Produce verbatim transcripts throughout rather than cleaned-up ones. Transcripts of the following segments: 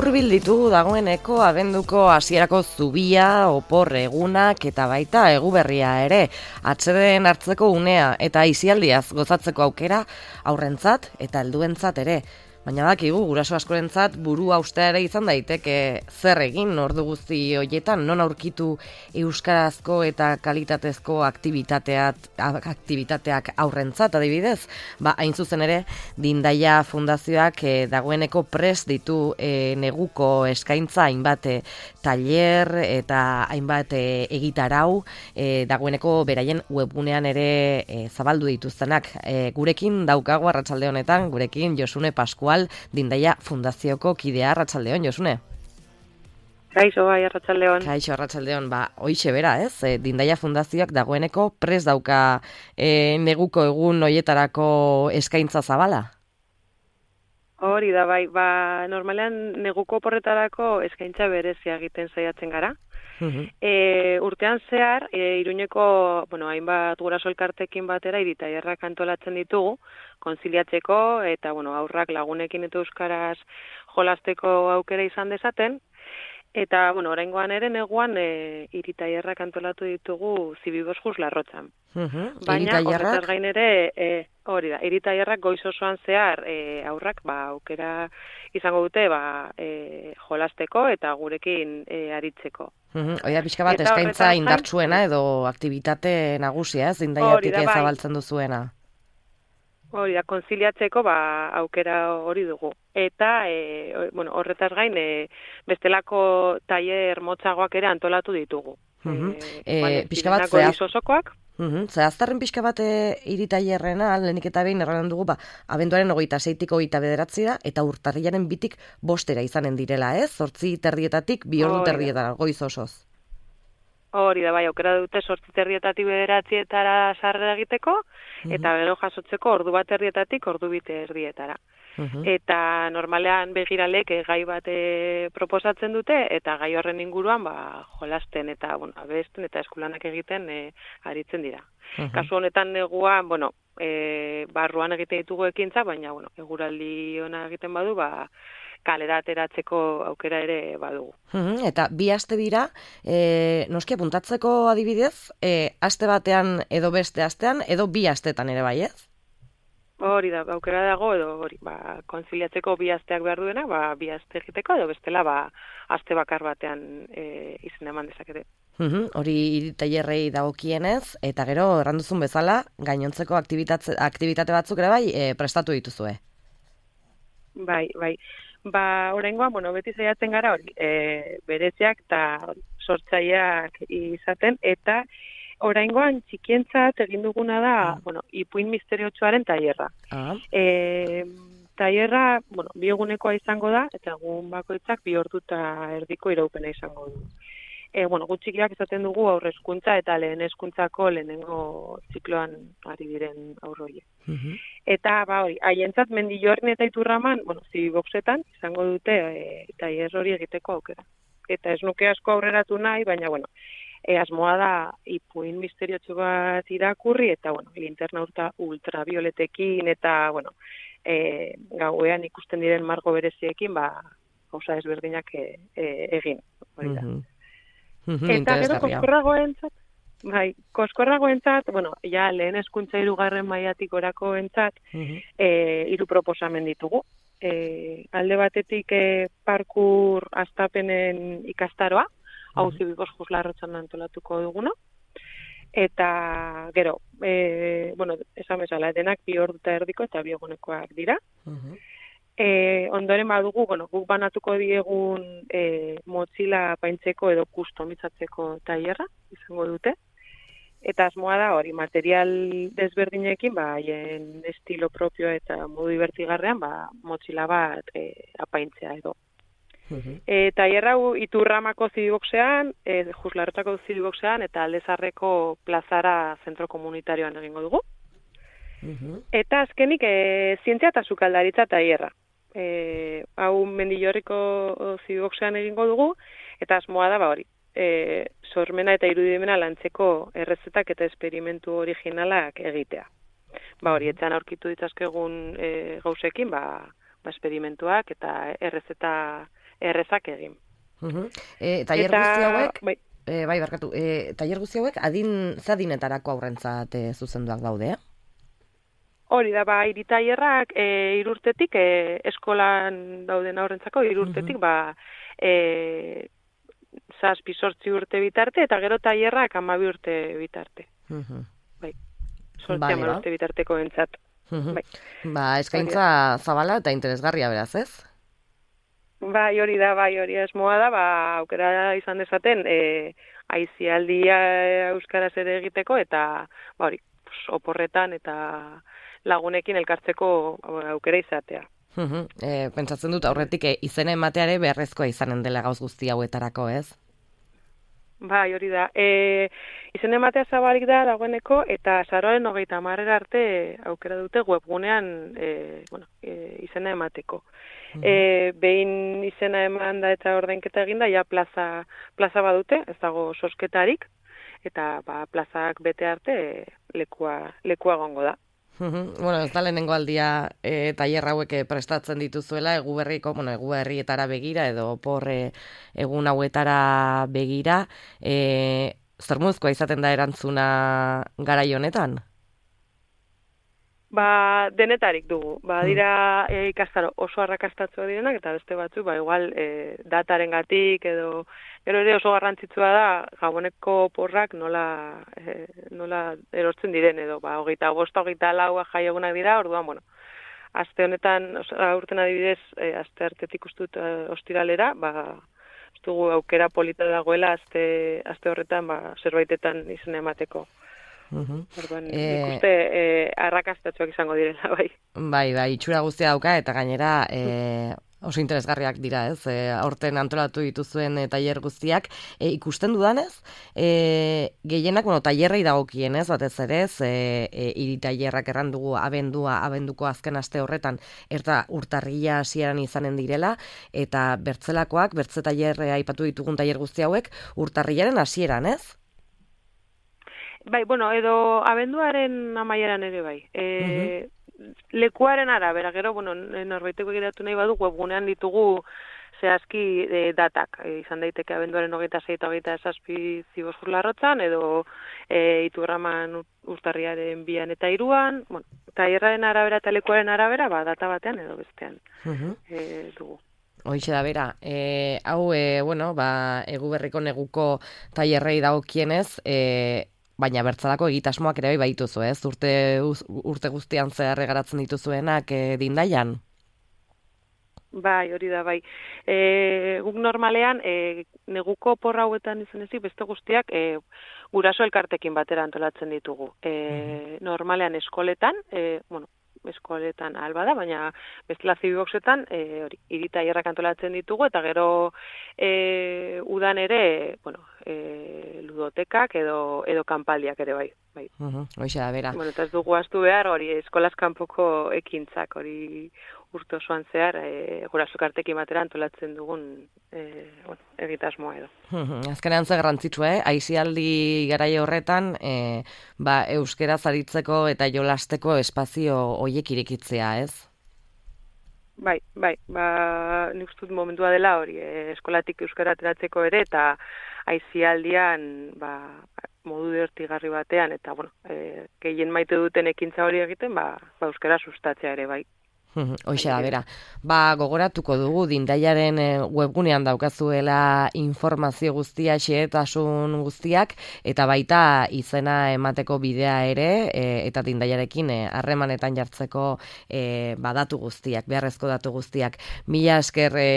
hurbil ditugu dagoeneko abenduko hasierako zubia, opor egunak eta baita eguberria ere. Atseden hartzeko unea eta aisialdiaz gozatzeko aukera aurrentzat eta helduentzat ere. Baina dakigu, guraso askorentzat buru haustea ere izan daiteke zer egin ordu guzti horietan, non aurkitu euskarazko eta kalitatezko aktibitateak, aktibitateak aurrentzat adibidez. Ba, hain zuzen ere, Dindaia Fundazioak eh, dagoeneko prest ditu eh, neguko eskaintza hainbat eh, tailer eta hainbat eh, egitarau eh, dagoeneko beraien webgunean ere eh, zabaldu dituztenak. Eh, gurekin daukagu arratsalde honetan, gurekin Josune Pascual, Dindaia Fundazioko kidea. Arratsaldeon, Josune. Kaixo, bai, arratsaldeon. Kaixo, arratsaldeon. Ba, hoixe bera, ez? E, Dindaia Fundazioak dagoeneko prest dauka e, neguko egun hoietarako eskaintza zabala? Hori da, bai, ba, normalean neguko porretarako eskaintza berezia egiten saiatzen gara. Uh-huh. E, urtean zehar, e, Iruñeko, bueno, hainbat guraso elkartekin batera iritaierrak antolatzen ditugu, konziliatzeko eta, bueno, aurrak lagunekin eta euskaraz jolasteko aukera izan dezaten. Eta, bueno, oraingoan ere neguan e, iritaierrak antolatu ditugu Zibibos Jus Larrotzan. Uh-huh. Baina, horretaz gain ere, e, hori da, iritaierrak goiz osoan zehar e, aurrak, ba, aukera izango dute, ba, e, jolasteko eta gurekin e, aritzeko. Uh-huh. Oida pixka bat eskaintza indartsuena edo aktibitate nagusia, ez, Dindaiatik zabaltzen duzuena. Hori da, konziliatzeko ba, aukera hori dugu. Eta, e, bueno, horretaz gain, e, bestelako tailer motzagoak ere antolatu ditugu. Uh-huh. E, e, pixka bat zehaz... Uh-huh. Zehaztarren pixka bat e, iritaierrena, lehenik eta behin erranen dugu, ba, abenduaren hogeita seitiko hogeita bederatzira, eta urtarrilaren bitik bostera izanen direla, ez? Zortzi terdietatik, bi ordu terdietara, goiz osoz. Hori da, bai, aukera dute sortzi terdietatik bederatzietara sarrera egiteko, eta gero jasotzeko ordu bat erdietatik ordu bite erdietara. Uh-huh. Eta normalean begiralek gai bat proposatzen dute, eta gai horren inguruan ba, jolasten eta bueno, abesten eta eskulanak egiten e, aritzen dira. Uh-huh. Kasu honetan neguan, bueno, e, barruan egite ditugu ekintza, baina bueno, eguraldi ona egiten badu, ba, kalera ateratzeko aukera ere badugu. Uh-huh. Eta bi aste dira, e, noski apuntatzeko adibidez, e, aste batean edo beste astean, edo bi astetan ere bai, ez? Hori da, aukera dago, edo hori, ba, konziliatzeko bi asteak behar duena, ba, bi aste egiteko, edo bestela, ba, aste bakar batean e, izen eman dezakete. Uh-huh. Hori tailerrei dagokienez, eta gero, erranduzun bezala, gainontzeko aktibitate batzuk ere bai, e, prestatu dituzue. Bai, bai. Ba, oraingoan, bueno, beti saiatzen gara hori, e, bereziak eta sortzaileak izaten, eta oraingoan txikientzat egin duguna da, ah. bueno, ipuin misteriotsuaren tailerra. Ah. E, tailerra, bueno, bi egunekoa izango da, eta egun bakoitzak bi ordu eta erdiko iraupena izango du. E, bueno, gutxikiak izaten dugu aurrezkuntza eta lehen hezkuntzako lehenengo zikloan ari diren aurroie. Uh-huh. Eta, ba, hori, haientzat Mendillorrin eta Iturraman, bueno, Zibiboxetan izango dute e, tailer hori egiteko aukera. Eta ez nuke asko aurreratu nahi, baina, bueno, e, asmoa da ipuin misteriotsu bat irakurri, eta, bueno, linterna ultravioletekin, eta, bueno, e, gauean ikusten diren margo bereziekin, ba, gauza ezberdinak e, e, egin. Hori da. Uh-huh. Eta gero koskorragoentzat, bai, koskorragoentzat, bueno, ja lehen hezkuntza hirugarren mailatik orako entzat, uh-huh. e, hiru proposamen ditugu. E, alde batetik e, parkur astapenen ikastaroa, hau uh-huh. Zibibos Jus Larrotzan antolatuko duguna. Eta gero, e, bueno, esan bezala, denak bi ordu eta erdiko eta bi egunekoak dira. Uh-huh. E, ondoren badugu, bueno, guk banatuko diegun e, motxila paintzeko edo kustomizatzeko tailerra izango dute. Eta asmoa da hori, material desberdinekin, ba, haien estilo propioa eta modu divertigarrean, ba, motxila bat e, apaintzea edo. Uh-huh. E, tailerra Iturramako Zibiboxean, e, Jus Larrotzako Zibiboxean eta Aldezarreko plazara zentro komunitarioan egingo dugu. Uh-huh. Eta azkenik, e, zientzia eta sukaldaritza tailerra. E, hau Mendillorriko Zibiboxean egingo dugu, eta asmoa da, ba hori, e, sormena eta irudimena lantzeko errezetak eta esperimentu originalak egitea. Ba hori, etxean aurkitu ditzazkegun e, gauzekin, ba, ba esperimentuak eta errezeta errezak egin. Uh-huh. E, tailer Eta, guzti hauek, bai, e, bai barkatu, e, tailer guzti hauek adin, ze adinetarako aurrentzat e, zuzenduak daude, eh? Hori da, ba, iritaierrak e, irurtetik, e, eskolan dauden aurrentzako, irurtetik, uh-huh. ba, e, zazpi sortzi urte bitarte, eta gero tailerrak amabi urte bitarte. Uh-huh. Bai, sortzi ama urte bitarteko entzat. Uh-huh. Bai. Ba, eskaintza zabala eta interesgarria beraz, ez? Bai, hori da, bai, hori asmoa da, ba, aukera izan dezaten, e, aizialdia euskaraz ere egiteko, eta, ba, hori, oporretan eta lagunekin elkartzeko aukera izatea. Uh-huh. E, pentsatzen dut aurretik e, izena emateare beharrezkoa izanen dela gauz guzti hauetarako, ez? Bai, hori da. E, izen ematea zabalik da dagoeneko, eta azaroaren hogeita hamarera arte aukera dute webgunean e, bueno, e, izena emateko. Uh-huh. E, behin izena eman da eta ordainketa eginda, ja plaza, plaza badute, ez dago sosketarik, eta ba, plazak bete arte lekua, lekua gongo da. Uhum. Bueno, ez da lehenengo aldia e, tailer hauek prestatzen dituzuela eguberriko, bueno, eguberrietara begira edo porre egun hauetara begira, e, zer moduzkoa izaten da erantzuna garai honetan? Ba, denetarik dugu. Ba, dira e, ikastaro oso arrakastatzu direnak, eta beste batzu, ba, igual, e, dataren gatik, edo, gero ere oso garrantzitsua da, Gaboneko porrak nola, e, nola erortzen diren, edo, ba, hogeita bosta, hogeita laua jaiegunak dira, orduan, bueno, aste honetan, aurten adibidez, e, aste artetik ustut e, ostiralera, ba, ez dugu aukera polita dagoela, aste, aste horretan, ba, zerbaitetan izen emateko. Uhum. Orduan, e... ikuste e, arrakastatxoak izango direla, bai. Bai, bai, itxura guztia dauka, eta gainera e, oso interesgarriak dira, ez? E, aurten antolatu dituzuen e, tailer guztiak. E, ikusten dudanez, e, gehienak, bueno, tailerrei dagokienez, batez ere, ez, e, e, hiri tailerrak erran dugu abendua, abenduko azken aste horretan, eta urtarrila hasieran izanen direla, eta bertzelakoak, bertze tailerre aipatu ditugun tailer guzti hauek, urtarrilaren hasieran, ez? Bai, bueno, edo abenduaren amaieran ere bai. E, uh-huh. Lekuaren arabera, gero, bueno, norbaiteko egiratu nahi badu, webgunean ditugu zehazki e, datak. E, izan daiteke abenduaren hogeita zei eta hogeita zazpi Ziboskur Larrotzan, edo e, Iturraman urtarriaren bian eta hiruan, bueno, eta irraren arabera eta lekuaren arabera, ba, data batean edo bestean uh-huh. e, dugu. Hoixe da bera, e, hau, e, bueno, ba, eguberriko neguko tailerrei dagokienez, e, baina bertzalako egitasmoak ere bai baituzu, ez? Urte, urte guztian zehar garatzen dituzuenak e, Dindaian? Bai, hori da, bai. E, guk normalean, e, neguko porra hauetan izan ezik, beste guztiak e, guraso elkartekin batera antolatzen ditugu. E, mm-hmm. Normalean eskoletan, e, bueno, eskoletan alba da, baina bestela zibiboxetan e, hori, hiri tailerrak antolatzen ditugu, eta gero e, udan ere, bueno, e, ludotekak edo edo kanpaldiak ere bai. bai. Uh-huh. Hoxe da, bera. Bueno, eta ez dugu ahaztu behar, hori eskolaz kanpoko ekintzak, hori urte osoan zehar, e, guraso elkartekin batera antolatzen dugun e, bueno, egitasmoa edo. Uh-huh. Azkenean ze garrantzitsua, eh? Aisialdi garai horretan, e, ba, euskera zaritzeko eta jolasteko espazio hoiek irekitzea, ez? Bai, bai, ba, nik uste dut momentua dela hori, e, eskolatik euskara ateratzeko ere, eta aisialdian, ba, modu divertigarri batean, eta, bueno, e, gehien maite duten ekintza hori egiten, ba, ba euskara sustatzea ere, bai. Hoxe da, bera. Ba, gogoratuko dugu, Dindaiaren webgunean daukazuela informazio guztia, xehetasun guztiak, eta baita izena emateko bidea ere, e, eta Dindaiarekin harremanetan e, jartzeko e, badatu guztiak, beharrezko datu guztiak. Mila esker e,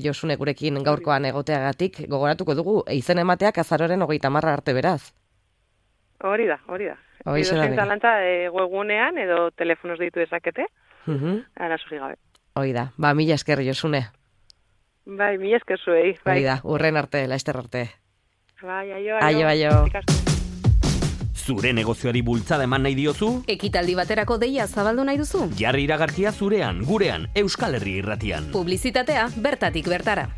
Josune gurekin gaurkoan egoteagatik, gogoratuko dugu, izen emateak azaroren hogeita hamarra arte beraz. Hori da, hori da. Hoxe da, bera. Zalantza e, webgunean edo telefonoz ditu ezakete. Uh-huh. Ara zuri gabe. Hoi da, ba, mila esker Josune. Bai, mila esker zuei. Bai. Hoi da, urren arte, laizter arte. Bai, aio, aio. Aio, aio. Zure negozioari bultzada eman nahi diozu? Ekitaldi baterako deia zabaldu nahi duzu? Jarri iragarkia zurean, gurean, Euskal Herri Irratian. Publizitatea bertatik bertara.